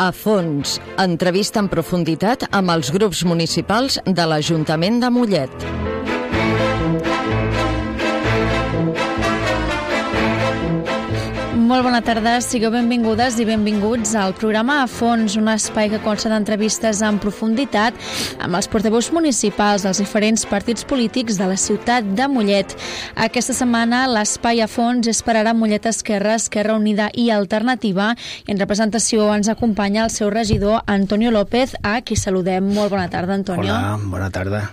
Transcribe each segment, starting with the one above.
A fons, entrevista en profunditat amb els grups municipals de l'Ajuntament de Mollet. Molt bona tarda, sigueu benvingudes i benvinguts al programa A Fons, un espai que consta d'entrevistes en profunditat amb els portaveus municipals dels diferents partits polítics de la ciutat de Mollet. Aquesta setmana l'espai A Fons és per ara Mollet Esquerra, Esquerra Unida i Alternativa, i en representació ens acompanya el seu regidor Antonio López, a qui saludem. Molt bona tarda, Antonio. Hola, bona tarda.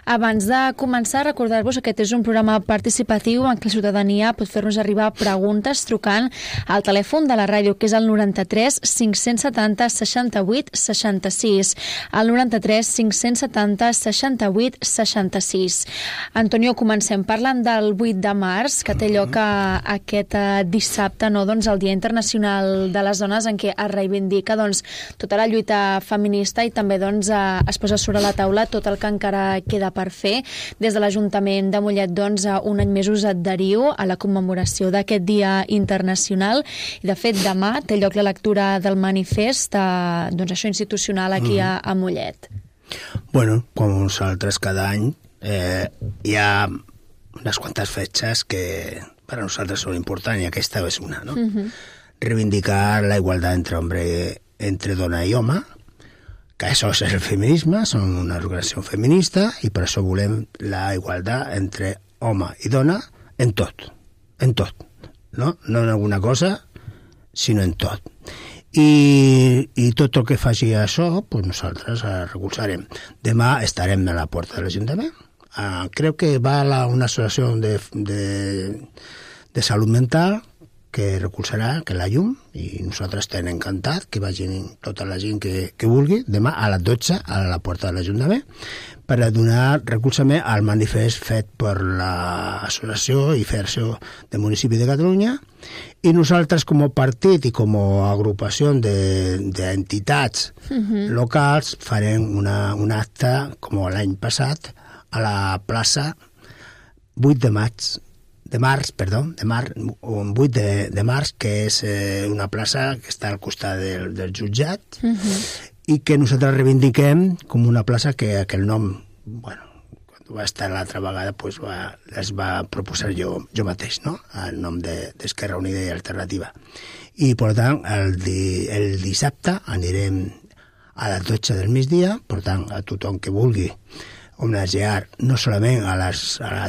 Abans de començar, recordar-vos que aquest és un programa participatiu en què la ciutadania pot fer-nos arribar preguntes trucant al telèfon de la ràdio, que és el 93 570 68 66. El 93 570 68 66. Antonio, comencem parlant del 8 de març, que té lloc aquest dissabte, no? Doncs el Dia Internacional de les Dones, en què es reivindica tota la lluita feminista i també es posa sobre la taula tot el que encara queda per fer. Des de l'Ajuntament de Mollet, un any més us adheriu a la commemoració d'aquest Dia Internacional. I de fet demà té lloc la lectura del manifest això institucional aquí a Mollet. Bueno, com nosaltres cada any hi ha unes quantes fetges que per a nosaltres són importants i aquesta és una, no? Reivindicar la igualtat entre dona i home, que això és el feminisme, som una organització feminista i per això volem la igualtat entre home i dona en tot, no en alguna cosa, sinó en tot. I tot el que faci això, pues nosaltres recolzarem. Demà estarem a la porta de l'Ajuntament. Crec que va una associació de salut mental que recolzarà, que la llum, i nosaltres estem encantats que vagin tota la gent que vulgui, demà a les 12 a la porta de l'Ajuntament, per a donar recolzament al manifest fet per l'Associació i Federació de Municipis de Catalunya, i nosaltres com a partit i com a agrupació d'entitats locals farem un acte com l'any passat a la plaça 8 de març, que és una plaça que està al costat del jutjat i que nosaltres reivindiquem com una plaça que aquell nom, quan va estar l'altra vegada, es va proposar jo mateix, no? El nom d'Esquerra Unida i Alternativa. I, per tant, el dissabte anirem a les 12 del migdia, per tant, a tothom que vulgui homenatjar no solament a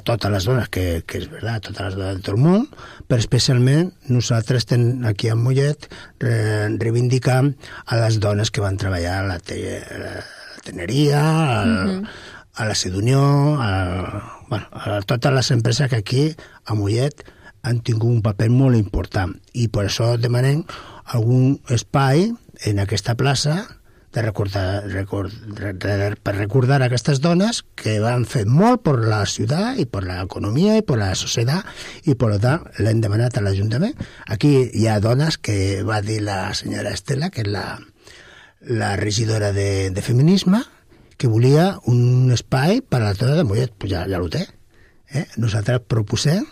totes les dones, que és veritat, totes les dones de tot el món, però especialment nosaltres aquí a Mollet reivindicam a les dones que van treballar a la teneria, a la Sedunió, a totes les empreses que aquí a Mollet han tingut un paper molt important. I per això demanem algun espai en aquesta plaça per recordar aquestes dones que van fer molt per la ciutat i per l'economia i per la societat, i per tant l'hem demanat a l'Ajuntament. Aquí hi ha dones que va dir la senyora Estela, que és la regidora de feminisme, que volia un espai per a la dona de Mollet. Pues ja ho té. Nosaltres proposem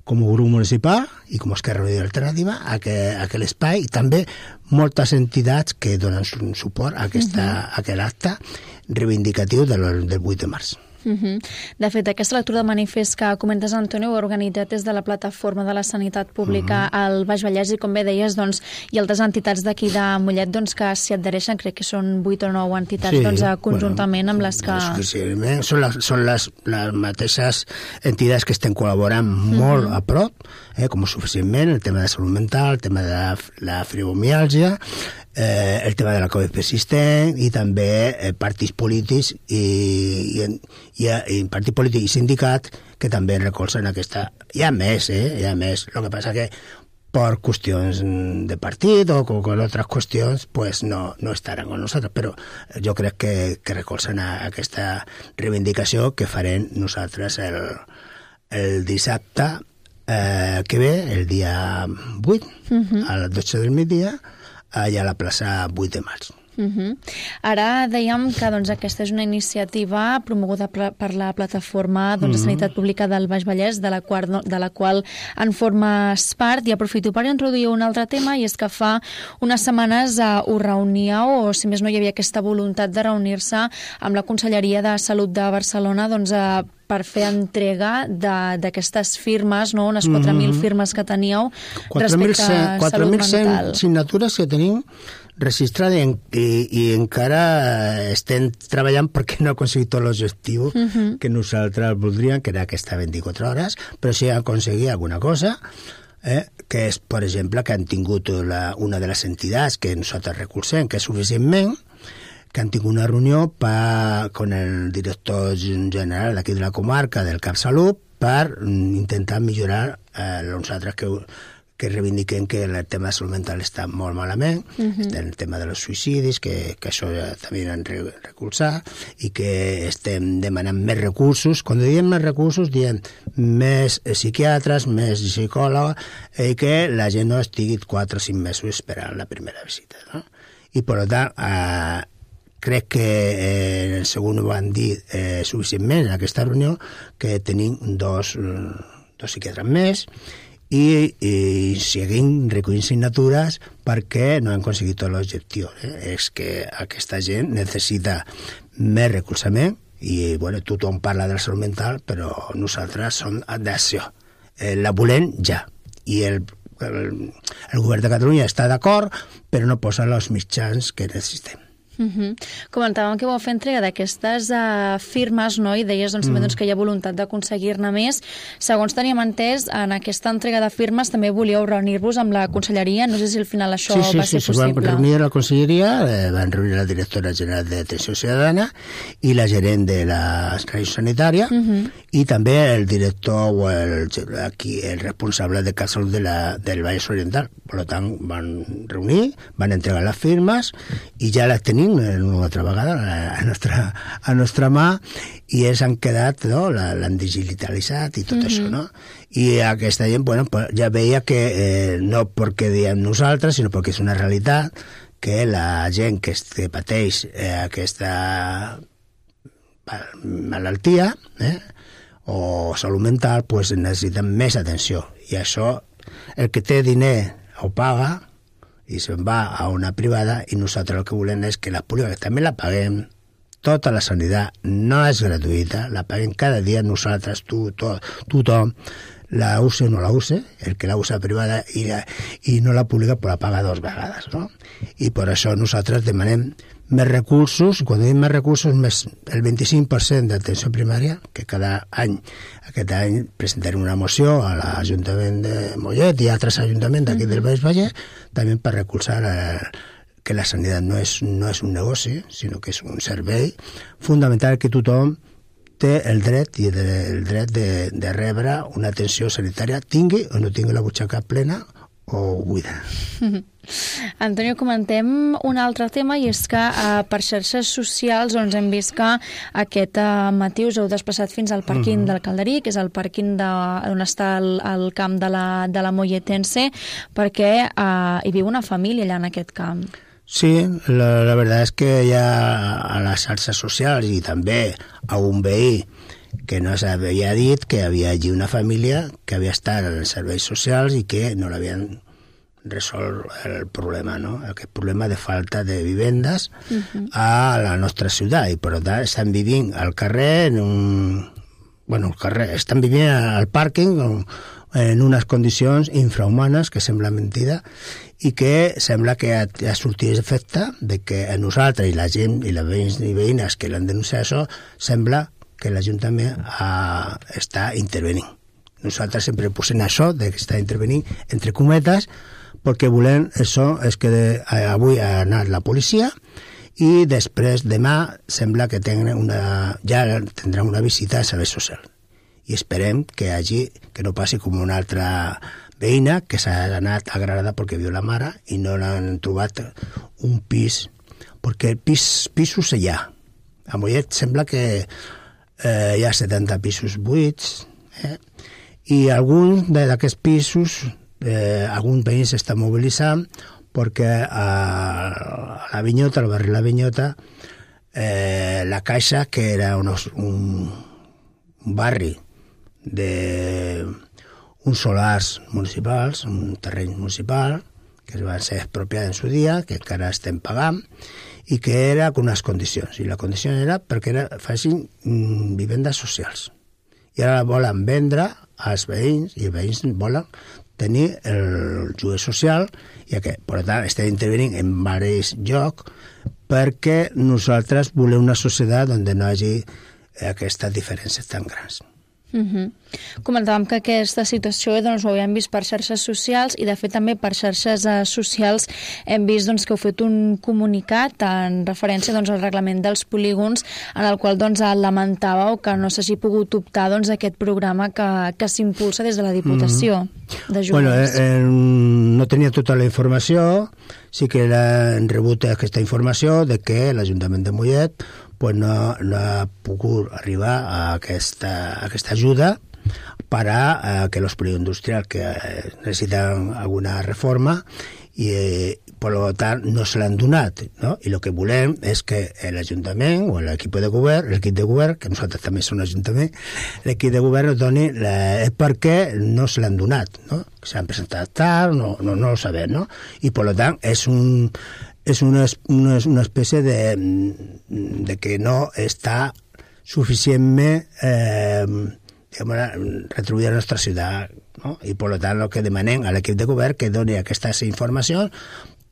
com a grup municipal i com a Esquerra Unida i Alternativa aquell espai, i també moltes entitats que donen suport a aquest acte reivindicatiu del 8 de març. De fet, aquesta lectura de manifest que comentes, Antonio, ho ha organitzat des de la Plataforma de la Sanitat Pública al Baix Vallès, i com bé deies, hi ha altres entitats d'aquí de Mollet que s'hi adhereixen, crec que són 8 o 9 entitats conjuntament amb les que... Són les mateixes entitats que estem col·laborant molt a prop, com suficientment, el tema de salut mental, el tema de la fibromiàlgia, el tema de la Covid persistent, i també partits polítics i partits polítics i sindicats que també recolzen aquesta... Hi ha més, el que passa que per qüestions de partit o con altres qüestions no estaran amb nosaltres, però jo crec que recolzen aquesta reivindicació que farem nosaltres el dissabte que ve, el dia 8, a les 12 del migdia, allà a la plaça 8 de maig. Ara dèiem que aquesta és una iniciativa promoguda per la plataforma de Sanitat Pública del Baix Vallès, de la qual en formes part, i aprofito per introduir un altre tema, i és que fa unes setmanes us reuníeu, o si més no hi havia aquesta voluntat de reunir-se amb la Conselleria de Salut de Barcelona per fer entrega d'aquestes firmes, unes 4.000 firmes que teníeu respecte a salut mental. 4.100 signatures que tenim registrades i encara estem treballant perquè no ha aconseguit tot l'objectiu que nosaltres voldríem, que era aquesta 24 hores, però sí aconseguir alguna cosa, que és, per exemple, que han tingut una de les entitats que nosaltres recolzem, que és Suficientment, que han tingut una reunió con el director general d'aquí de la comarca del CapSalut per intentar millorar nosaltres que reivindiquem que el tema de salut mental està molt malament, està el tema dels suïcidis, que això ja també han recolzat, i que estem demanant més recursos. Quan diem més recursos, diem més psiquiatres, més psicòlegs, i que la gent no estigui 4 o 5 mesos esperant la primera visita, no? I, per tant, crec que segons ho van dir suficientment en aquesta reunió, que tenim dos psiquiatres més, i seguim recollint signatures perquè no han aconseguit tot l'objectiu. És que aquesta gent necessita més recolzament i tothom parla de la salut mental, però nosaltres som d'acció. La volem ja. I el govern de Catalunya està d'acord, però no posa els mitjans que necessitem. Comentàvem que vau fer entrega d'aquestes firmes, no? I deies també que hi ha voluntat d'aconseguir-ne més. Segons teníem entès, en aquesta entrega de firmes també volíeu reunir-vos amb la conselleria. No sé si al final això va ser possible. Van reunir a la conselleria, van reunir la directora general d'Atenció Ciutadana i la gerent de la Regió Sanitària, i també el director o el responsable de CapSalut del Vallès Oriental. Per tant, van reunir, van entregar les firmes i ja les tenim una altra vegada a nostra mà, i ells han quedat, l'han digitalitzat i tot això, no? I aquesta gent, ja veia que no perquè diem nosaltres, sinó perquè és una realitat que la gent que pateix aquesta malaltia o salut mental necessiten més atenció, i això el que té diner ho paga i se'n va a una privada, i nosaltres el que volem és que la pública, que també la paguem, tota la sanitat no és gratuïta, la paguem cada dia nosaltres, tothom, la use o no la use, el que la usa privada i no la pública la paga 2 vegades, no? I per això nosaltres demanem més recursos. Quan diem més recursos, més el 25% d'atenció primària, que aquest any presentarem una moció a l'Ajuntament de Mollet i a altres ajuntaments d'aquí del Baix Vallès, també per recolzar que la sanitat no és un negoci, sinó que és un servei fundamental, que tothom té el dret de rebre una atenció sanitària, tingui o no tingui la butxaca plena o buida. Antonio, comentem un altre tema, i és que per xarxes socials hem vist que aquest matí us heu desplaçat fins al pàrquing del Calderí, que és el pàrquing on està el camp de la Molletense, perquè hi viu una família allà en aquest camp. Sí, la veritat és que hi ha a les xarxes socials i també a un veí que no s'havia dit que havia allí una família que havia estat en els serveis socials i que no l'havien resolt el problema, no? Aquest problema de falta de vivendes a la nostra ciutat, i per tant estan vivint al carrer estan vivint al pàrquing en unes condicions infrahumanes que sembla mentida, i que sembla que ha sortit l'efecte de que a nosaltres i la gent i les veïns i veïnes que l'han denunciat això, sembla que l'Ajuntament està intervenint. Nosaltres sempre posem això de que està intervenint entre cometes, perquè volem això és que avui ha anat la policia i després demà sembla que ja tindran una visita a serveis socials, i esperem que no passi com una altra veïna que s'ha anat agradada perquè viu la mare i no l'han trobat un pis, perquè pisos hi ha. A Mollet sembla que hi ha 70 pisos buits, i alguns d'aquests pisos algun veí s'està mobilitzant perquè a la Vinyota, al barri La Vinyota, la Caixa, que era un barri d'uns solars municipals, un terreny municipal, que es van ser expropiats en su dia, que encara estem pagant, i que era con unes condicions. I la condició era perquè facin vivendes socials. I ara volen vendre als veïns, i els veïns volen tenir el lloguer social, i que, per tant, estem intervenint en diversos llocs perquè nosaltres volem una societat on no hi hagi aquestes diferències tan grans. Comentàvem que aquesta situació ho havíem vist per xarxes socials i de fet també per xarxes socials hem vist que heu fet un comunicat en referència al reglament dels polígons en el qual lamentàveu que no s'hagi pogut optar a aquest programa que s'impulsa des de la Diputació de Joves. No tenia tota la informació, sí que hem rebut aquesta informació de que l'Ajuntament de Mollet no ha pogut arribar a aquesta ajuda para que los polígonos que necesitan alguna reforma y por lo tanto no se l'han donat, no? I el que volem és que l'Ajuntament o l'equip de govern, que nosaltres també som l'Ajuntament, l'equip de govern nos doni per què no se l'han donat, no? Que s'han presentat tard, no ho sabem, no? I per lo tant és una espècie de que no està suficientment retribuïda la nostra ciutat, no? I per tant el que demanem a l'equip de govern que doni aquesta informació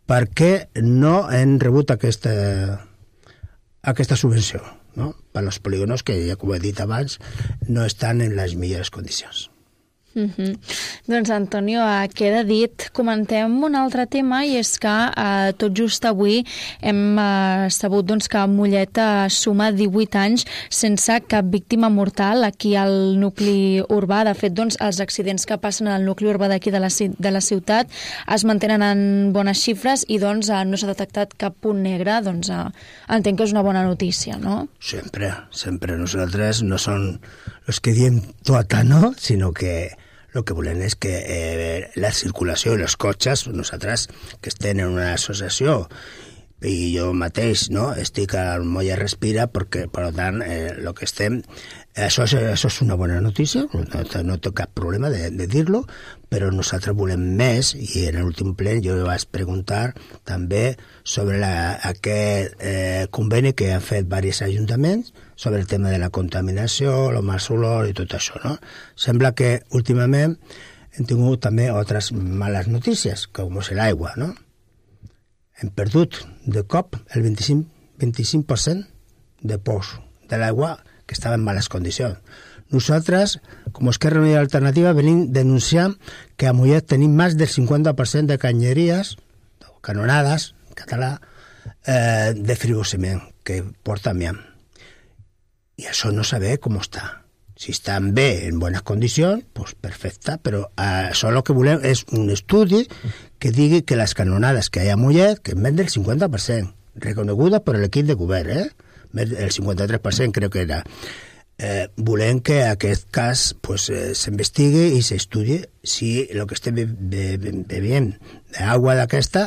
perquè no hem rebut aquesta subvenció, no? Per als polígonos que, ja com he dit abans, no estan en les millors condicions. Doncs Antonio, queda dit. Comentem un altre tema i és que tot just avui hem sabut que Mollet suma 18 anys sense cap víctima mortal aquí al nucli urbà. De fet, els accidents que passen al nucli urbà d'aquí de la ciutat es mantenen en bones xifres i no s'ha detectat cap punt negre. Entenc que és una bona notícia, no? Sempre. Nosaltres no som els que diem tot, no? Sinó que el que volem és que la circulació i els cotxes, nosaltres que estem en una associació i jo mateix estic al Mollet Respira perquè, per tant, el que estem... Això és una bona notícia, no té cap problema de dir-lo, però nosaltres volem més i en l'últim ple jo vaig preguntar també sobre aquest conveni que han fet diversos ajuntaments sobre el tema de la contaminació, el mal olor i tot això, no? Sembla que últimament hem tingut també altres males notícies, com és l'aigua, no? Hem perdut de cop el 25% de pous de l'aigua que estava en males condicions. Nosaltres, com Esquerra Unida Alternativa, venim denunciant que a Mollet tenim més del 50% de canyeries, canonades, en català, de frigociment, que porta amiant. I això no saber com està. Si estan bé, en bones condicions, doncs perfecte, però això el que volem és un estudi que digui que les canonades que hi ha a Mollet, que és més del 50%, reconeguda per l'equip de govern, el 53% crec que era. Volem que aquest cas s'investigui i s'estudi si el que estem bevent d'aigua d'aquesta,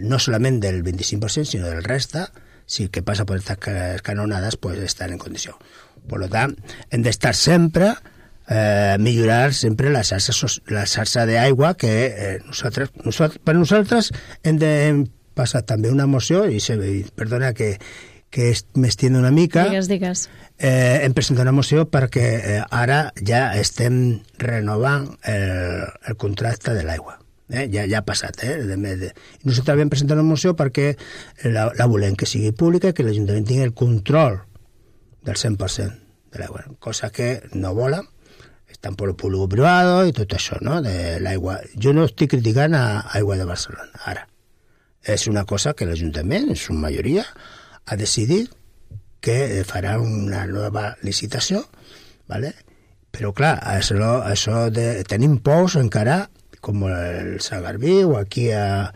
no solament del 25%, sinó del resta, si el que passa per aquestes canonades estan en condició. Per tant, hem d'estar sempre, millorar sempre la xarxa d'aigua que per nosaltres hem de passar també una moció, i perdona que m'estén una mica. Digues. Hem presentat una moció perquè ara ja estem renovant el contracte de l'aigua. Ja ha passat. Nosaltres vam presentar una moció perquè la volem que sigui pública, que l'Ajuntament tingui el control del 100% de l'aigua, cosa que no volen. Estan per el públic privat i tot això, no?, de l'aigua. Jo no estic criticant a Aigua de Barcelona, ara. És una cosa que l'Ajuntament, en su majoria, ha decidit que farà una nova licitació, ¿vale? Però clar, això de tenim pous encara, com el Sant Garbí o aquí a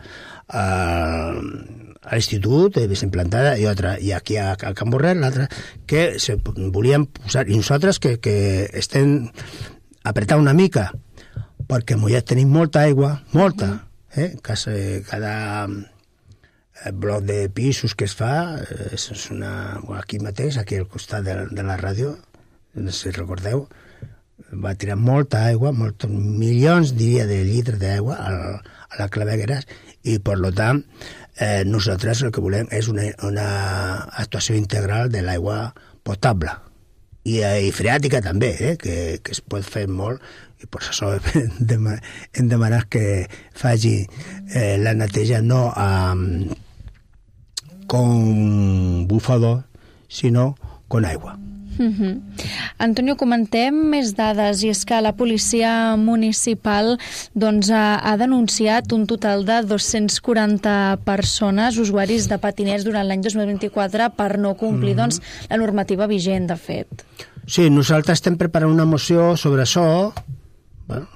l'institut de Implantada i aquí a Can Borrell, l'altre, que se volien posar, i nosaltres que estem apretant una mica, perquè a Mollet tenim molta aigua, molta, cada bloc de pisos que es fa, aquí mateix, aquí al costat de la ràdio, no sé si recordeu, va tirar molta aigua, molts milions, diria, de litres d'aigua a la clavegueres, i per tant nosaltres el que volem és una actuació integral de l'aigua potable i freàtica també, que es pot fer molt, i per això hem demanat que faci la neteja no con bufador, sinó con aigua. Antonio, comentem més dades, i és que la policia municipal ha denunciat un total de 240 persones, usuaris de patinets, durant l'any 2024 per no complir la normativa vigent, de fet. Sí, nosaltres estem preparant una moció sobre això. Bueno,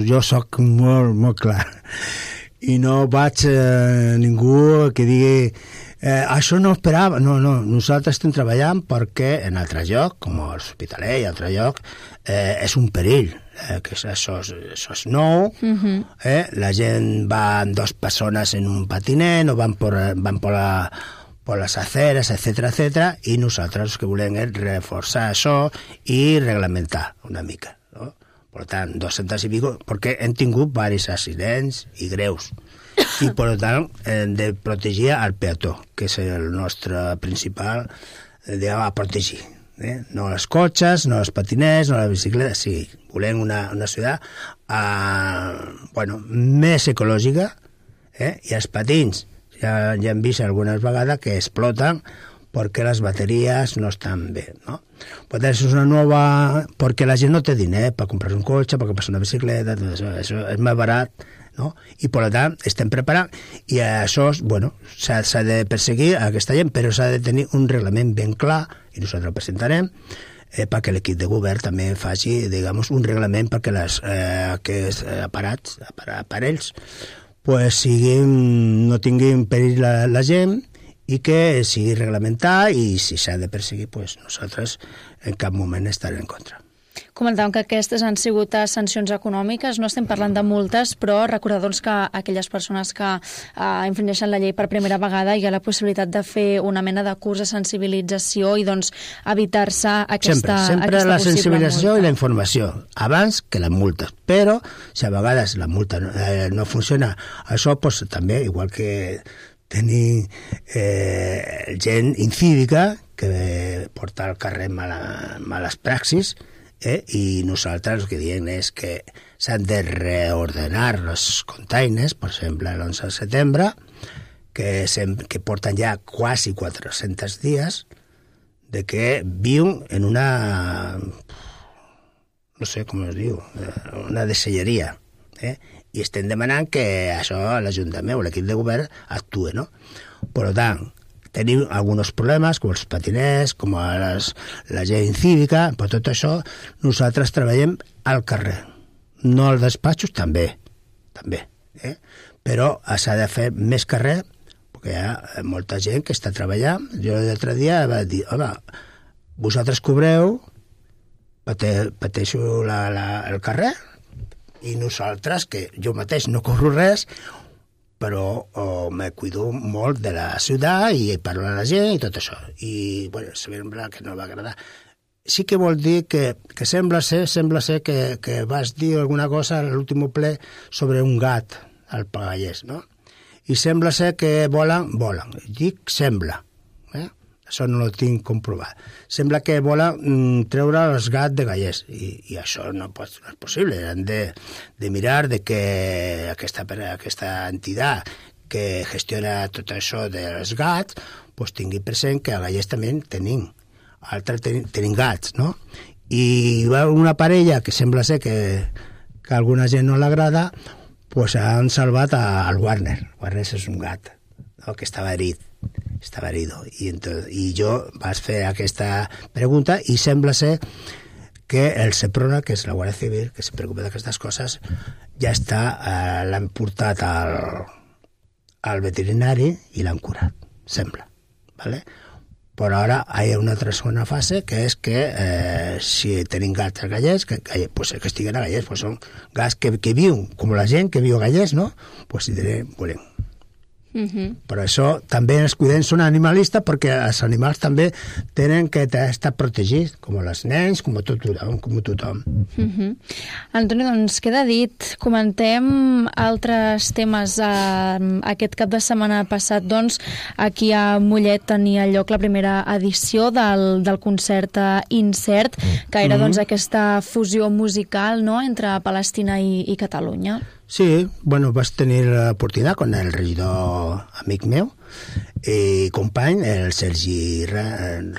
jo soc molt clar i no vaig ningú que digui això no esperava. No, nosaltres estem treballant perquè en altre lloc, com l'Hospitalet i altre lloc, és un perill, que això és nou. La gent va amb 2 persones en un patinet, o van per les aceres, etcètera, i nosaltres el que volem és reforçar això i reglamentar una mica. Per tant, 200 i pico, perquè hem tingut diversos accidents i greus. I, per tant, hem de protegir el peató, que és el nostre principal a protegir. No els cotxes, no els patinets, no les bicicletes. Sí, volem una ciutat més ecològica, i els patins ja hem vist algunes vegades que exploten perquè les bateries no estan bé, no? Per tant, és una nova... perquè la gent no té diner per comprar un cotxe, per comprar una bicicleta, tot això és més barat, no? I per tant, estem preparant, i això, s'ha de perseguir aquesta gent, però s'ha de tenir un reglament ben clar, i nosaltres el presentarem, perquè l'equip de govern també faci, diguem, un reglament perquè aquests aparells no tinguin perill la gent, i que sigui reglamentat, i si s'ha de perseguir, nosaltres en cap moment estarem en contra. Comentàvem que aquestes han sigut sancions econòmiques, no estem parlant de multes, però recordar que aquelles persones que infringeixen la llei per primera vegada hi ha la possibilitat de fer una mena de curs de sensibilització i evitar-se aquesta sempre la sensibilització multa. I la informació, abans que les multes. Però si a vegades la multa no funciona, això també, igual que tenir gent incívica que porta al carrer males praxis, i nosaltres el que diem és que s'han de reordenar els containers, per exemple, l'11 de setembre, que porten ja quasi 400 dies de que viuen en una, no sé com es diu, una deselleria, i estem demanant que això l'Ajuntament o l'equip de govern actuï, no? Per tant, tenim alguns problemes, com els patiners, com la gent cívica, per tot això nosaltres treballem al carrer. No als despatxos, també, però s'ha de fer més carrer, perquè hi ha molta gent que està treballant. Jo l'altre dia va dir, home, vosaltres cobreu, pateixo el carrer, i nosaltres, que jo mateix no cobro res, però me cuido molt de la ciutat i parlo a la gent i tot això. I, sembla que no va agradar. Sí que vol dir que sembla ser que vas dir alguna cosa a l'últim ple sobre un gat al Pagallès, no? I sembla ser que volen. Dic sembla, això no ho tinc comprovat. Sembla que volen treure els gats de Gallers, i això no és possible. Han de mirar de que aquesta entitat que gestiona tot això dels gats tingui present que a Gallers també tenim gats, no? I hi va una parella que sembla ser que a alguna gent no l'agrada, han salvat al Warner. Warner és un gat, no? Que estava herido, i jo vaig fer aquesta pregunta, i sembla ser que el Seprona, que és la Guàrdia Civil, que se preocupa d'aquestes coses, ja l'han portat al veterinari i l'han curat, sembla, ¿vale? Però ara hi ha una altra segona fase, que és que si tenim gats gallers, que estiguen a gallers, pues són gats que viuen, com la gent que viu a gallers, no? Pues si volem. Però això també els cuidem, són animalistes, perquè els animals també tenen que estar protegits, com els nens, com tothom. Antoni, doncs queda dit. Comentem altres temes. Aquest cap de setmana passat, doncs, aquí a Mollet tenia lloc la primera edició del concert Incert, que era doncs aquesta fusió musical, no?, entre Palestina i Catalunya. Sí, bueno, vas tenir l'oportunitat con el regidor amic meu i company, el Sergi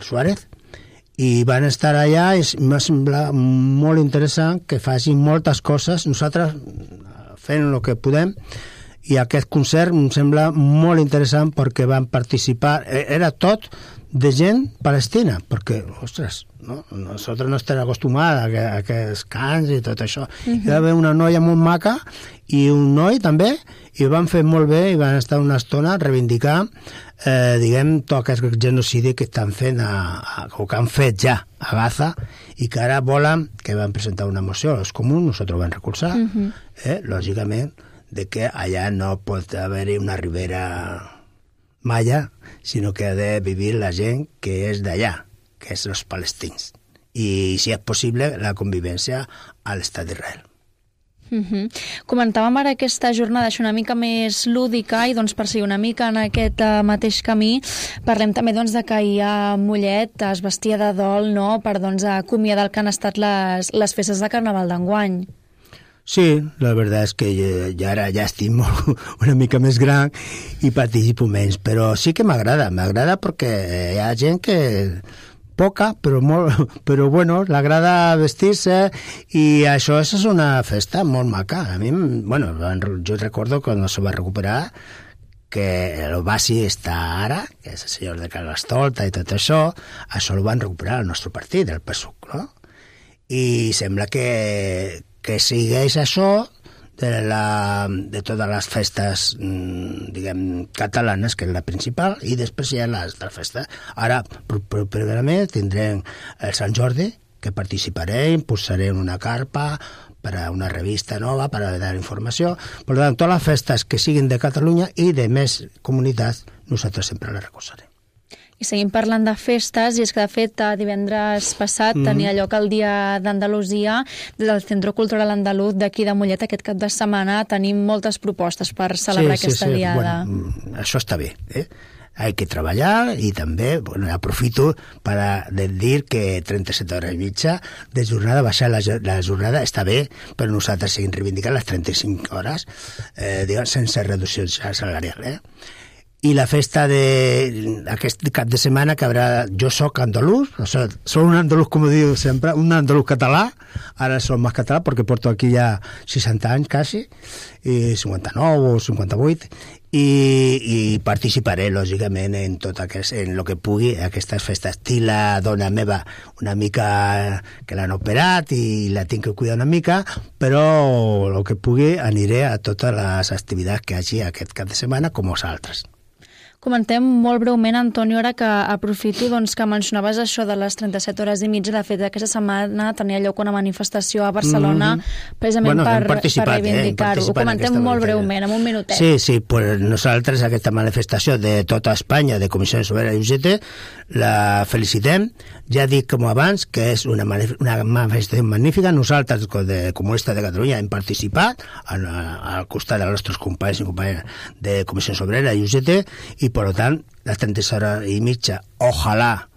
Suárez, i van estar allà i m'ha semblat molt interessant que facin moltes coses, nosaltres fent el que podem, i aquest concert em sembla molt interessant perquè van participar, era tot de gent palestina, perquè, ostres, no? Nosaltres no estem acostumats a aquests cants i tot això. Hi va haver una noia molt maca i un noi també, i ho van fer molt bé i van estar una estona a reivindicar diguem, tot aquest genocidi que estan fent o que han fet ja a Gaza, i que ara volen, que van presentar una moció als comuns, nosaltres ho vam recolzar, lògicament, de que allà no pot haver-hi una ribera maya, sinó que ha de vivir la gent que és d'allà, que és els palestins. I, si és possible, la convivència a l'estat d'Israel. Comentàvem ara aquesta jornada una mica més lúdica, i doncs per seguir una mica en aquest mateix camí parlem també doncs de que ahir a Mollet es vestia de dol, no?, per doncs acomiadar el que han estat les festes de Carnaval d'enguany. Sí, la veritat és que ja ara ja estic una mica més gran i participo menys, però sí que m'agrada perquè hi ha gent que poca, però bueno, l'agrada vestir-se, i això és una festa molt maca. A mi, bueno, jo recordo quan se va recuperar que el Basi està ara, que és el senyor de Carnestolta i tot això ho van recuperar al nostre partit, el PSUC, no? I sembla que segueix això de totes les festes, diguem, catalanes, que és la principal, i després hi ha les de la festa. Ara, primerament, tindrem el Sant Jordi, que participaré, impulsaré una carpa per a una revista nova, per a dar informació. Per tant, totes les festes que siguin de Catalunya i de més comunitats, nosaltres sempre les recolzarem. I seguim parlant de festes, i és que de fet divendres passat tenia lloc el Dia d'Andalusia des del Centre Cultural Andaluz d'aquí de Mollet. Aquest cap de setmana tenim moltes propostes per celebrar aquesta diada. Bueno, això està bé, Hay que treballar, i també aprofito per dir que 37 hores i mitja de jornada, baixar la jornada està bé, però nosaltres seguim reivindicant les 35 hores sense reducció salarial. I la festa d'aquest cap de setmana que haurà... Jo soc andalús, soc un andalús, com diu sempre, un andalús català, ara soc més català perquè porto aquí ja 60 anys quasi, i 59 o 58, i participaré, lògicament, en tot en el que pugui, aquestes festes. Tinc la dona meva una mica que l'han operat i la tinc que cuidar una mica, però el que pugui aniré a totes les activitats que hi hagi aquest cap de setmana, com els altres. Comentem molt breument, Antoni, ara que aprofito doncs, que mencionaves això de les 37 hores i mitja. De fet, aquesta setmana tenia lloc una manifestació a Barcelona precisament per reivindicar-ho. Ho comentem molt breument, en un minutet. Sí, pues nosaltres aquesta manifestació de tota Espanya, de Comissió Obrera i UGT, la felicitem. Ja dic com abans que és una manifestació magnífica. Nosaltres, de Comunistes de Catalunya, hem participat al costat dels nostres companys i companyes de Comissió Obrera i UGT, y por lo tanto las 36 horas y media, ojalá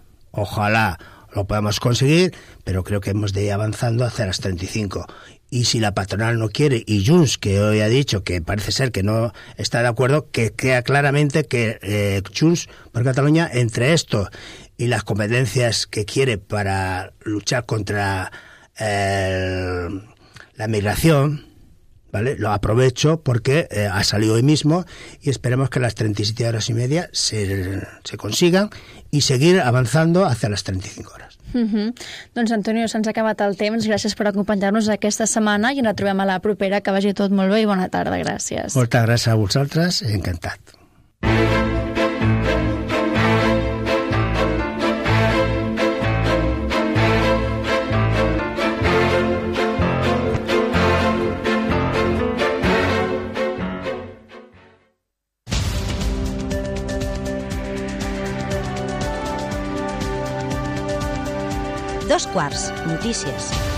lo podamos conseguir, pero creo que hemos de ir avanzando hacia las 35. Y si la patronal no quiere, y Junts, que hoy ha dicho que parece ser que no está de acuerdo, que queda claramente que Junts por Cataluña, entre esto y las competencias que quiere para luchar contra la migración, ¿vale? Lo aprovecho porque ha salido hoy mismo, y esperemos que las 37 horas y media se consigan y seguir avanzando hacia las 35 horas. Doncs, Antonio, se'ns ha acabat el temps. Gràcies per acompanyar-nos aquesta setmana i ens trobem a la propera. Que vagi tot molt bé i bona tarda. Gràcies. Moltes gràcies a vosaltres. Encantat. 2 quarts, notícies.